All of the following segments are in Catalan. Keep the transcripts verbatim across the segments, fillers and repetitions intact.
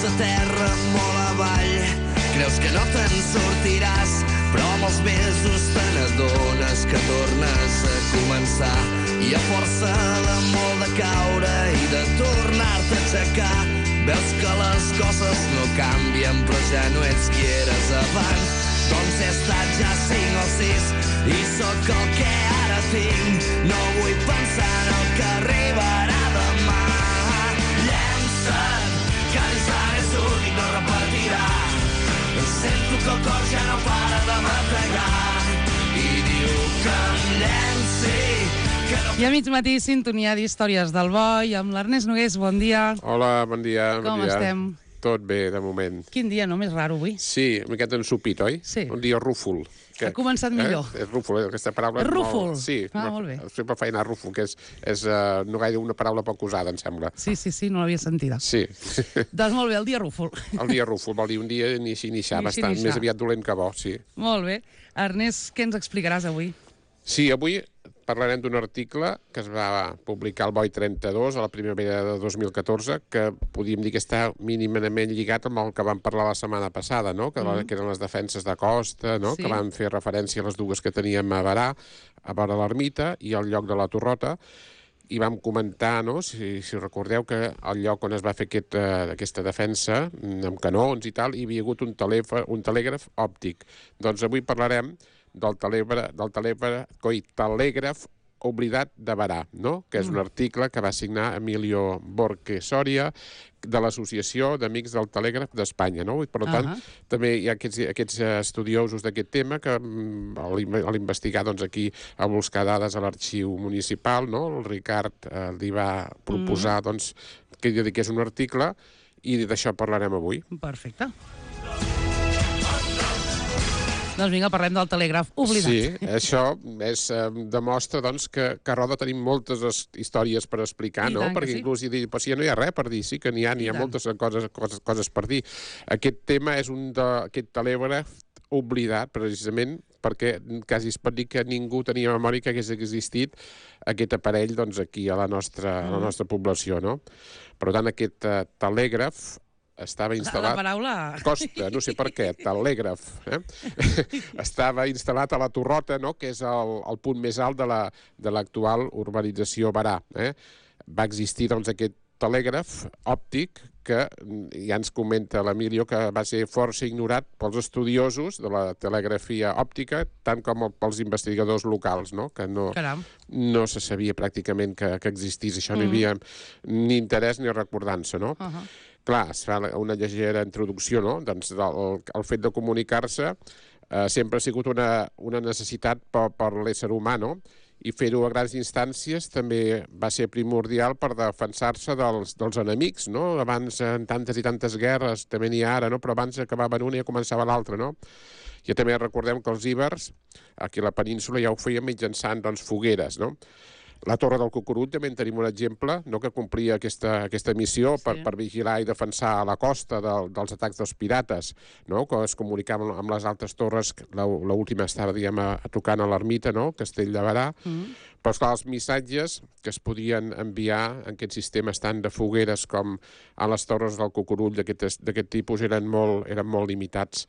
sota terra, molt avall. Creus que no te'n sortiràs, però amb els mesos te n'adones que tornes a començar. I a força de molt de caure i de tornar-te a aixecar, veus que les coses no canvien, però ja no ets qui eres abans. Doncs he estat ja cinc o sis i sóc el que ara tinc. No vull pensar en el que arribarà demà. Llença't, que l'instant és únic, no repetirà. Sento que el cor ja no para de bategar i diu que em llenci. I a mig matí, sintonia d'Històries del Boi amb l'Ernest Nogués. Bon dia. Hola, bon dia. Com bon dia. estem? Tot bé, de moment. Quin dia, no? Més raro avui. Sí, una miqueta ensupit, oi? Sí. Un dia rúfol. Ha començat millor. Eh? És rúfol, eh? Aquesta paraula... Rúfol? Molt... Sí. Ah, molt bé. Sempre fa anar rúfol, que és, és uh, no gaire una paraula poc usada, em sembla. Sí, sí, sí, no l'havia sentida. Sí. Doncs molt bé, el dia rúfol. El dia rúfol, vol dir un dia ni així ni xa, bastant ni xa. més aviat dolent que bo, sí. Molt bé. Ernest, què ens explicaràs avui? Sí, avui parlarem d'un article que es va publicar al Boi trenta-dos a la primavera de dos mil catorze, que podríem dir que està mínimament lligat amb el que vam parlar la setmana passada, no? que, mm. que eren les defenses de costa, no? Sí. Que van fer referència a les dues que teníem a Berà, a vora l'ermita i al lloc de la Torrota, i vam comentar, no? si, si recordeu, que al lloc on es va fer aquest, uh, aquesta defensa, amb canons i tal, hi havia hagut un, telèf un telègraf òptic. Doncs avui parlarem del telègraf, del telègraf, coi, telègraf oblidat de Berà, no? Que és un article que va signar Emilio Borque Soria de l'Associació d'Amics del Telègraf d'Espanya, no? I per tant, uh -huh. també hi ha aquests, aquests estudiosos d'aquest tema que a l'investigar, doncs, aquí a buscar dades a l'arxiu municipal, no? El Ricard eh, li va proposar, uh -huh. doncs, que dediqués un article i d'això parlarem avui. Perfecte. Doncs vinga, parlem del telègraf oblidat. Sí, això és, eh, demostra doncs, que, que a Roda tenim moltes històries per explicar, I no? tant que Perquè sí. inclús hi dir, però si ja no hi ha res per dir, sí que n'hi ha, n'hi ha moltes coses, coses, coses per dir. Aquest tema és un d'aquest telègraf oblidat, precisament, perquè quasi es pot dir que ningú tenia memòria que hagués existit aquest aparell, doncs, aquí a la nostra, a la nostra població, no? Per tant, aquest uh, telègraf estava instal·lat... La paraula... Costa, no sé per què, telègraf. Eh? Estava instal·lat a la Torrota, no? Que és el, el punt més alt de l'actual la, urbanització Berà. Eh? Va existir, doncs, aquest telègraf òptic que ja ens comenta l'Emilio que va ser força ignorat pels estudiosos de la telegrafia òptica, tant com pels investigadors locals, no? Que no, no se sabia pràcticament que, que existís. Això mm. no hi havia ni interès ni recordança, no? Uh -huh. Clar, es fa una llegera introducció, no? Doncs el, el fet de comunicar-se eh, sempre ha sigut una, una necessitat per, per l'ésser humà, no? I fer-ho a grans instàncies també va ser primordial per defensar-se dels, dels enemics, no? Abans, en tantes i tantes guerres, també n'hi ha ara, no? Però abans acabaven una i començava l'altra, no? I també recordem que els ibers, aquí a la península, ja ho feien mitjançant, doncs, fogueres, no? La Torre del Cucurull també en tenim un exemple, no? Que complia aquesta, aquesta missió per, sí. per vigilar i defensar la costa de, dels atacs dels pirates, no? Que es comunicaven amb les altres torres, l'última estava, diguem, a, a tocant a l'ermita, no? Castell de Berà, mm. però esclar, els missatges que es podien enviar en aquests sistemes tant de fogueres com a les torres del Cucurull d'aquest tipus eren molt, eren molt limitats.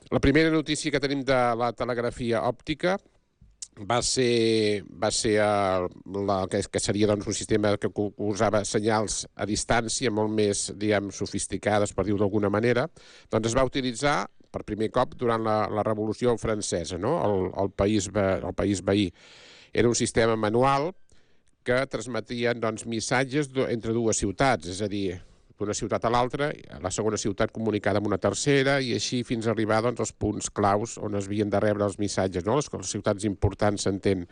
La primera notícia que tenim de la telegrafia òptica va ser, va ser uh, la, que, que seria doncs, un sistema que usava senyals a distància molt més, diguem, sofisticades, per dir-ho d'alguna manera, doncs es va utilitzar per primer cop durant la, la Revolució Francesa, no? el, el, país, el país veí. Era un sistema manual que transmetien doncs, missatges entre dues ciutats, és a dir, d'una ciutat a l'altra, la segona ciutat comunicada amb una tercera, i així fins a arribar doncs, als punts claus on es havien de rebre els missatges, no? Les, les ciutats importants, s'entén.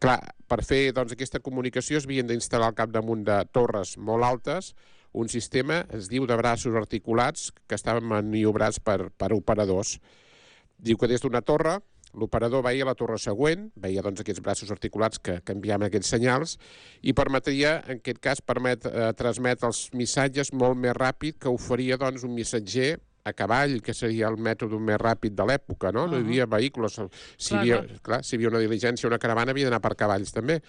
Clar, per fer doncs, aquesta comunicació es havien d'instal·lar al capdamunt de torres molt altes un sistema, es diu, de braços articulats que estaven maniobrats per, per operadors. Diu que des d'una torre l'operador veia la torre següent, veia doncs, aquests braços articulats que canviaven aquests senyals i permetria, en aquest cas, permet, eh, transmetre els missatges molt més ràpid que ho faria doncs, un missatger a cavall, que seria el mètode més ràpid de l'època, no? No hi havia vehicles. Si hi havia, clar, si hi havia una diligència, una caravana, havia d'anar per cavalls, també.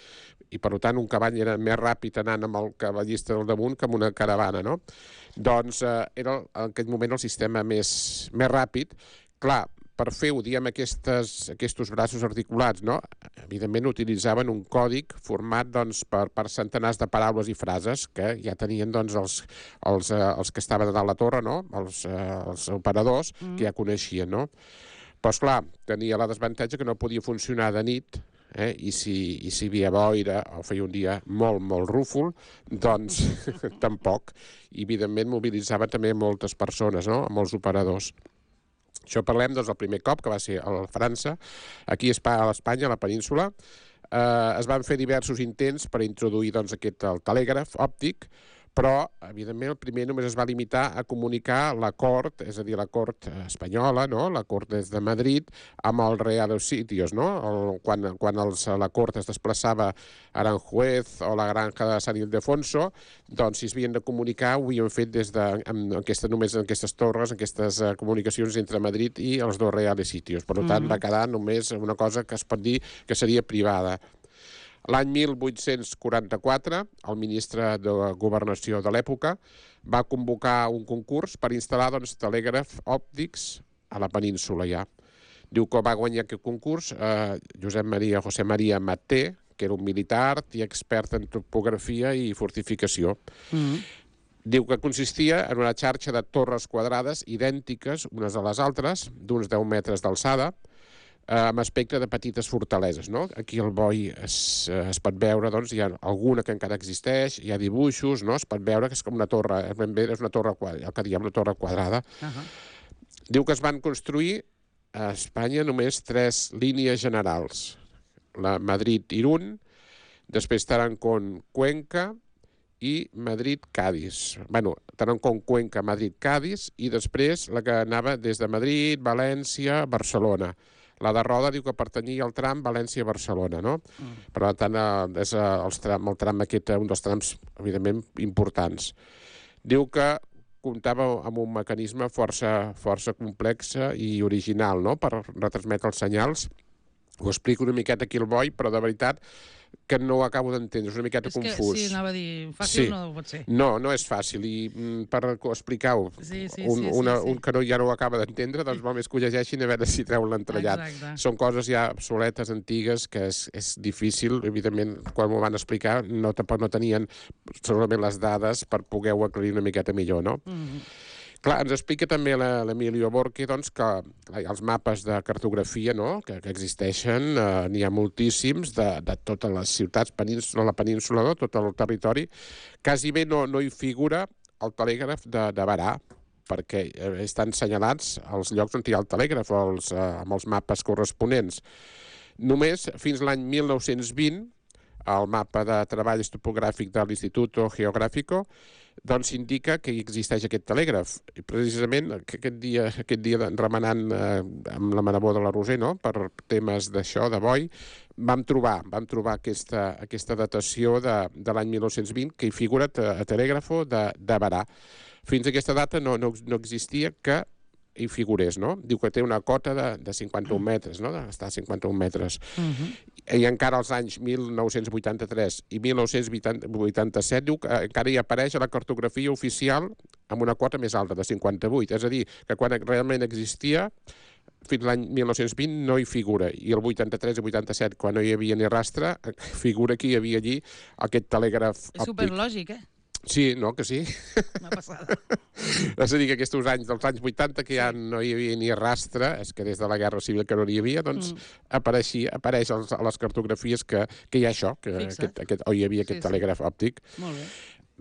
I, per tant, un cavall era més ràpid anant amb el cavallista del damunt que amb una caravana, no? Doncs eh, era en aquell moment el sistema més, més ràpid. Clar, per fer, ho diem, aquestes, aquests braços articulats, no? Evidentment utilitzaven un còdic format doncs, per, per centenars de paraules i frases que ja tenien doncs, els, els, eh, els que estaven a dalt la torre, no? els, eh, els operadors, mm. que ja coneixien. No? Però, esclar, tenia la desavantatge que no podia funcionar de nit, eh? I, si, i si hi havia boira o feia un dia molt, molt rúfol, doncs tampoc. I, evidentment, mobilitzava també moltes persones, no? Molts operadors. Això parlem doncs, del primer cop, que va ser a França. Aquí a Espanya, a la península, eh, es van fer diversos intents per introduir doncs, aquest, el telègraf òptic, però, evidentment, el primer només es va limitar a comunicar la cort, és a dir, la cort espanyola, no? La cort des de Madrid, amb el Real de Sitios, no? El, quan quan els, la cort es desplaçava a Aranjuez o la granja de San Ildefonso, doncs si es havien de comunicar ho havien fet des de, amb aquesta, només en aquestes torres, en aquestes uh, comunicacions entre Madrid i els dos Real de Sitios. Per tant, mm-hmm. va quedar només una cosa que es pot dir que seria privada. L'any mil vuit-cents quaranta-quatre, el ministre de Governació de l'època va convocar un concurs per instal·lar doncs, telègrafs òptics a la península ja. Diu que va guanyar aquest concurs eh, Josep Maria, José María Maté, que era un militar i expert en topografia i fortificació. Mm-hmm. Diu que consistia en una xarxa de torres quadrades idèntiques unes a les altres, d'uns deu metres d'alçada, amb aspecte de petites fortaleses. No? Aquí al Boi es, es pot veure, doncs, hi ha alguna que encara existeix, hi ha dibuixos, no? Es pot veure que és com una torre, ben bé és una torre, el que diem una torre quadrada. Uh-huh. Diu que es van construir a Espanya només tres línies generals. La Madrid-Irún, després Tarancón-Cuenca i Madrid-Cádiz. Bueno, Tarancón-Cuenca, Madrid-Cádiz, i després la que anava des de Madrid, València, Barcelona. La de Roda diu que pertanyia al tram València-Barcelona, no? Mm. Per tant, és el tram, el tram aquest, un dels trams, evidentment, importants. Diu que comptava amb un mecanisme força, força complex i original, no?, per retransmetre els senyals. Ho explico una miqueta aquí al Boi, però de veritat que no ho acabo d'entendre, és una miqueta és que, confús. Sí, anava a dir, fàcil sí. No pot ser. No, no és fàcil, i mm, per explicar-ho, sí, sí, un, sí, una, sí, sí. un que no, ja no ho acaba d'entendre, doncs vol més que ho llegeixin a veure si treu l'entrellat. Són coses ja obsoletes, antigues, que és, és difícil, evidentment, quan m'ho van explicar, no, tampoc no tenien segurament les dades per poder-ho aclarir una miqueta millor, no? Mm-hmm. Clar, ens explica també l'Emilio Borque doncs, que els mapes de cartografia, no?, que, que existeixen, eh, n'hi ha moltíssims de, de totes les ciutats, península, la península, no?, tot el territori. Quasi bé no, no hi figura el telègraf de, de Berà, perquè estan senyalats els llocs on hi ha el telègraf, els, eh, amb els mapes corresponents. Només fins l'any mil nou-cents vint, el mapa de treballs topogràfic de l'Instituto Geográfico, doncs indica que hi existeix aquest telègraf. I precisament aquest dia, aquest dia remenant eh, amb la Maravó de la Roser, no?, per temes d'això, de Boi, vam trobar, vam trobar aquesta, aquesta datació de, de l'any mil nou-cents vint que hi figura a, a telègrafo de, de Berà. Fins a aquesta data no, no, no existia que hi figurés, no? Diu que té una cota de, de cinquanta-un metres, no?, està a cinquanta-un metres. Uh-huh. I encara als anys mil nou-cents vuitanta-tres i mil nou-cents vuitanta-set diu que encara hi apareix a la cartografia oficial amb una cota més alta, de cinquanta-vuit. És a dir, que quan realment existia, fins l'any mil nou-cents vint no hi figura. I el vuitanta-tres i vuitanta-set, quan no hi havia ni rastre, figura que hi havia allí aquest telègraf òptic. És superlògic, eh? Sí, no, que sí. Una passada. És a dir, que aquests anys, dels anys vuitanta, que ja sí. no hi havia ni rastre, és que des de la Guerra Civil que no hi havia, doncs mm. apareixia, apareix als, a les cartografies que, que hi ha això, que aquest, aquest, o hi havia aquest sí, telègraf sí. òptic. Molt bé.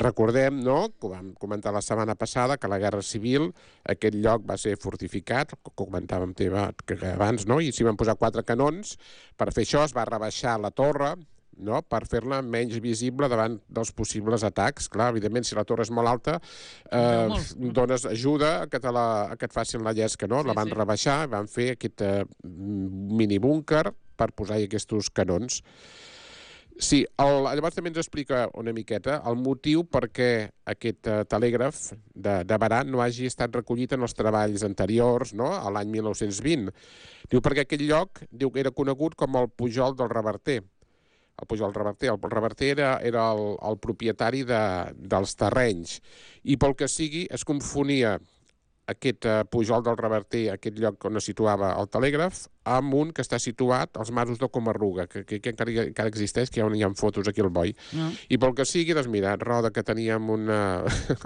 Recordem, no?, que ho vam comentar la setmana passada, que a la Guerra Civil aquest lloc va ser fortificat, que comentàvem teva, que abans, no?, i s'hi van posar quatre canons. Per fer això es va rebaixar la torre, no?, per fer-la menys visible davant dels possibles atacs. Clar, evidentment, si la torre és molt alta, eh, no, dones ajuda a que, te la, a que et facin la llesca, no? Sí, la van sí. rebaixar, van fer aquest eh, minibúnquer per posar-hi aquests canons. Sí, el, llavors també ens explica una miqueta el motiu per què aquest uh, telègraf de, de Berà no hagi estat recollit en els treballs anteriors, no?, a l'any mil nou-cents vint. Diu perquè aquell lloc diu que era conegut com el Pujol del Reverter. El Pujol del Reverter. El Reverter era, era el, el propietari de, dels terrenys. I pel que sigui es confonia aquest uh, Pujol del Reverter, aquest lloc on es situava el telègraf, amb un que està situat als masos de Comarruga, que, que, que encara, encara existeix, que hi ha, hi ha fotos aquí al Boi. No. I pel que sigui, doncs mira, Roda, que teníem una,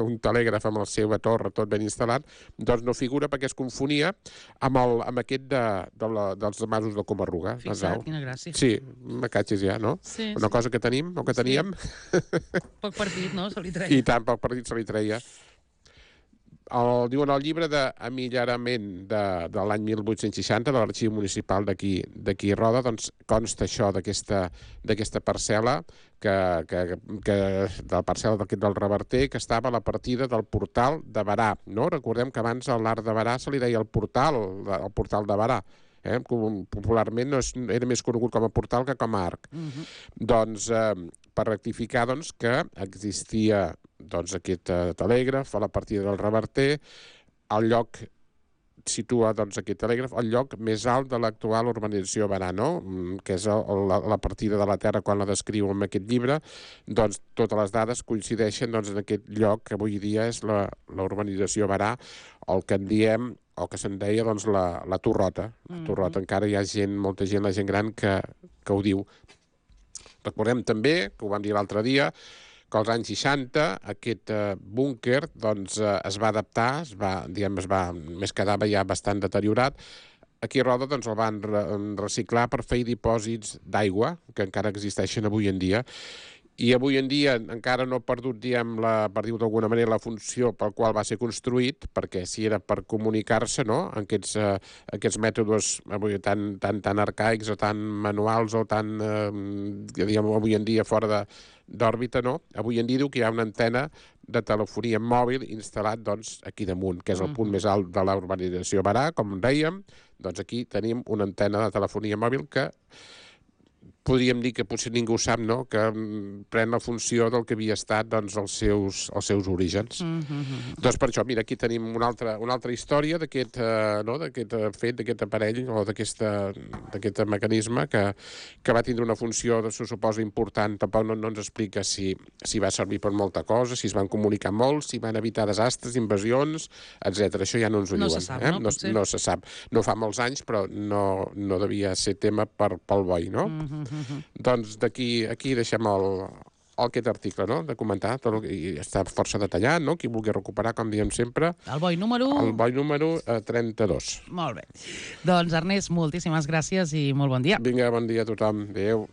un telègraf amb la seva torre tot ben instal·lat, doncs no figura perquè es confonia amb, el, amb aquest de, de la, dels masos de Comarruga. Fixa't, quina gràcia. Sí, me catxis ja, no? Sí, una sí. cosa que tenim, o que teníem. Sí. Poc partit, no? Se li treia. I tant, poc partit se li treia. El, diuen el llibre d'emillarament de, de l'any mil vuit-cents seixanta de l'Arxiu Municipal d'aquí d'aquí Roda, doncs consta això d'aquesta parcel·la, que, que, que, de la parcel·la d'aquest del Reverter, que estava a la partida del portal de Berà. No? Recordem que abans a l'Arc de Berà se li deia el portal, el portal de Berà. Eh? Popularment no és, era més conegut com a portal que com a arc. Uh-huh. Doncs, eh, per rectificar, doncs, que existia doncs, aquest uh, telègraf a la partida del Reverter, el lloc situa doncs, aquest telègraf al lloc més alt de l'actual urbanització Berà, no? Que és el, la, la partida de la terra quan la descriu en aquest llibre, doncs totes les dades coincideixen doncs, en aquest lloc que avui dia és la, la urbanització Berà, el que en diem o que se'n deia doncs, la, la Torrota. La Torrota, mm-hmm. Encara hi ha gent, molta gent, la gent gran, que, que ho diu. Recordem també, que ho vam dir l'altre dia, que als anys seixanta aquest eh, búnquer doncs, eh, es va adaptar, es va, diguem, es va, més quedava ja bastant deteriorat. Aquí a Roda doncs, el van re reciclar per fer dipòsits d'aigua, que encara existeixen avui en dia. I avui en dia encara no ha perdut, diguem, la, per dir-ho d'alguna manera, la funció pel qual va ser construït, perquè si era per comunicar-se, no?, aquests, eh, aquests mètodes avui tan, tan, tan arcaics o tan manuals o tan, eh, diguem, avui en dia fora d'òrbita, no? Avui en dia diu que hi ha una antena de telefonia mòbil instal·lat doncs, aquí damunt, que és el punt més alt de la urbanització Berà, com dèiem. Doncs aquí tenim una antena de telefonia mòbil que podríem dir que potser ningú sap, no?, que pren la funció del que havia estat doncs, els, seus, els seus orígens. Mm-hmm. Doncs per això, mira, aquí tenim una altra, una altra història d'aquest uh, no? d'aquest uh, fet, d'aquest aparell o d'aquest mecanisme que, que va tindre una funció, se suposa, important. Tampoc no, no ens explica si, si va servir per molta cosa, si es van comunicar molt, si van evitar desastres, invasions, etcètera. Això ja no ens ho no diuen. Se sap, eh? no? No, no se sap. No fa molts anys, però no, no devia ser tema per, pel Boi, no? Mm-hmm. Uh-huh. Doncs d'aquí aquí deixem el, el, aquest article, no?, de comentar, tot el, i està força detallat, no?, qui vulgui recuperar, com diem sempre. El Boi número... El Boi número eh, trenta-dos. Molt bé. Doncs, Ernest, moltíssimes gràcies i molt bon dia. Vinga, bon dia a tothom. Adéu.